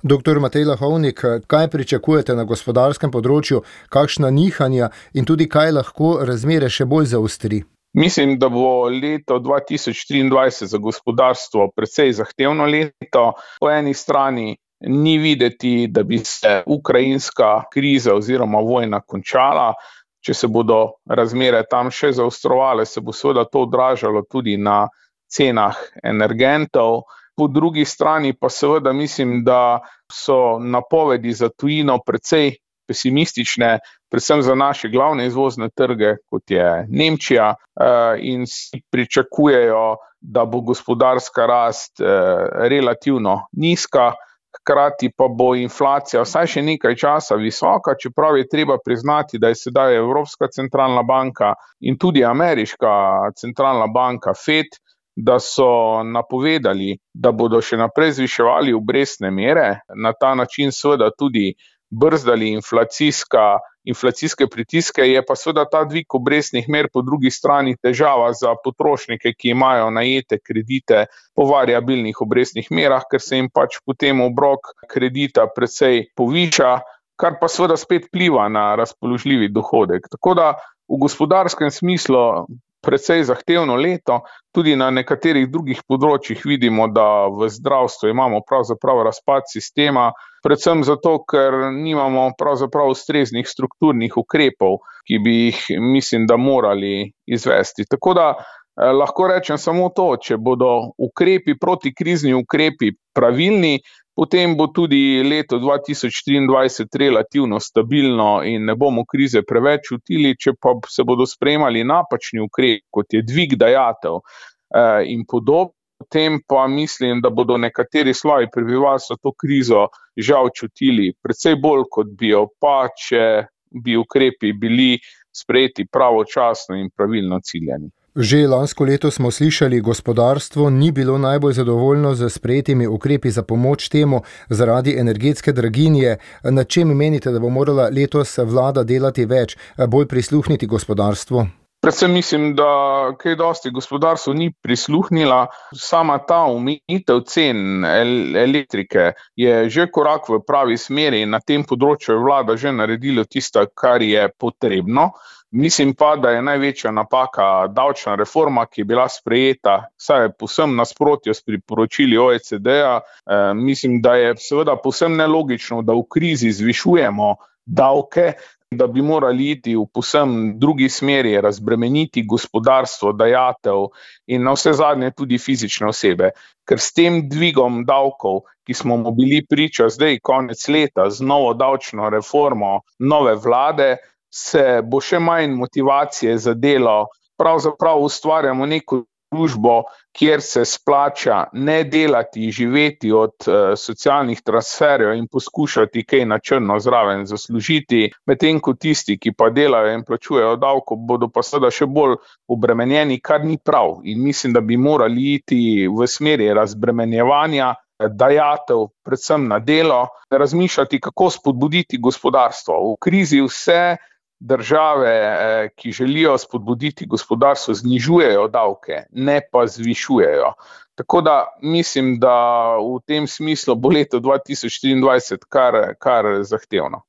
Doktor Matej Lahovnik, kaj pričakujete na gospodarskem področju, kakšna nihanja in tudi kaj lahko razmere še bolj zaostri? Mislim, da bo leto 2023 za gospodarstvo precej zahtevno leto. Po eni strani ni videti, da bi se ukrajinska kriza oziroma vojna končala. Če se bodo razmere tam še zaostrovale, se bo seveda to odražalo tudi na cenah energentov. Po drugi strani pa seveda mislim, da so napovedi za tujino precej pesimistične, predvsem za naše glavne izvozne trge, kot je Nemčija, in si pričakujejo, da bo gospodarska rast relativno nizka, hkrati pa bo inflacija vsaj še nekaj časa visoka, čeprav je treba priznati, da je sedaj Evropska centralna banka in tudi ameriška centralna banka Fed, da so napovedali, da bodo še naprej zviševali obrestne mere, na ta način seveda tudi brzdali inflacijske pritiske, je pa seveda ta dvig obrestnih mer po drugi strani težava za potrošnike, ki imajo najete kredite po variabilnih obrestnih merah, ker se jim pač potem obrok kredita precej poviša, kar pa seveda spet vpliva na razpoložljivi dohodek. Tako da v gospodarskem smislu precej zahtevno leto, tudi na nekaterih drugih področjih vidimo, da v zdravstvu imamo pravzaprav razpad sistema, predvsem zato, ker nimamo pravzaprav ustreznih strukturnih ukrepov, ki bi jih, mislim, da morali izvesti. Tako da lahko rečem samo to, če bodo ukrepi, protikrizni ukrepi pravilni, potem bo tudi leto 2023 relativno stabilno in ne bomo krize preveč čutili, če pa se bodo sprejemali napačni ukrepi, kot je dvig dajatev in podobno, potem pa mislim, da bodo nekateri sloji prebivalstva to krizo žal čutili precej bolj, kot bi jo pa, če bi ukrepi bili sprejeti pravočasno in pravilno ciljani. Že lansko leto smo slišali, gospodarstvo ni bilo najbolj zadovoljno z sprejetimi ukrepi za pomoč temu zaradi energetske draginje. Na čem menite, da bo morala letos vlada delati več, bolj prisluhniti gospodarstvu? Predvsem mislim, da kaj dosti gospodarstvo ni prisluhnila. Sama ta omejitev cen elektrike je že korak v pravi smeri in na tem področju je vlada že naredila tisto, kar je potrebno. Mislim pa, da je največja napaka davčna reforma, ki je bila sprejeta, saj je povsem nasprotju s priporočili OECD-ja. Mislim, da je seveda povsem nelogično, da v krizi zvišujemo davke, da bi morali iti v povsem drugi smeri, razbremeniti gospodarstvo, dajatev in navsezadnje tudi fizične osebe. Ker s tem dvigom davkov, ki smo mu bili priča zdaj konec leta z novo davčno reformo nove vlade, se bo še manj motivacije za delo. Pravzaprav ustvarjamo neko družbo, kjer se splača ne delati, živeti od socialnih transferjev in poskušati kaj na črno zraven zaslužiti, medtem ko tisti, ki pa delajo in plačujejo davko, bodo pa seveda še bolj obremenjeni, kar ni prav. In mislim, da bi morali iti v smeri razbremenjevanja dajatev, predvsem na delo, razmišljati, kako spodbuditi gospodarstvo. V krizi vse države, ki želijo spodbuditi gospodarstvo, znižujejo davke, ne pa zvišujejo. Tako da mislim, da v tem smislu bo leto 2023 kar zahtevno.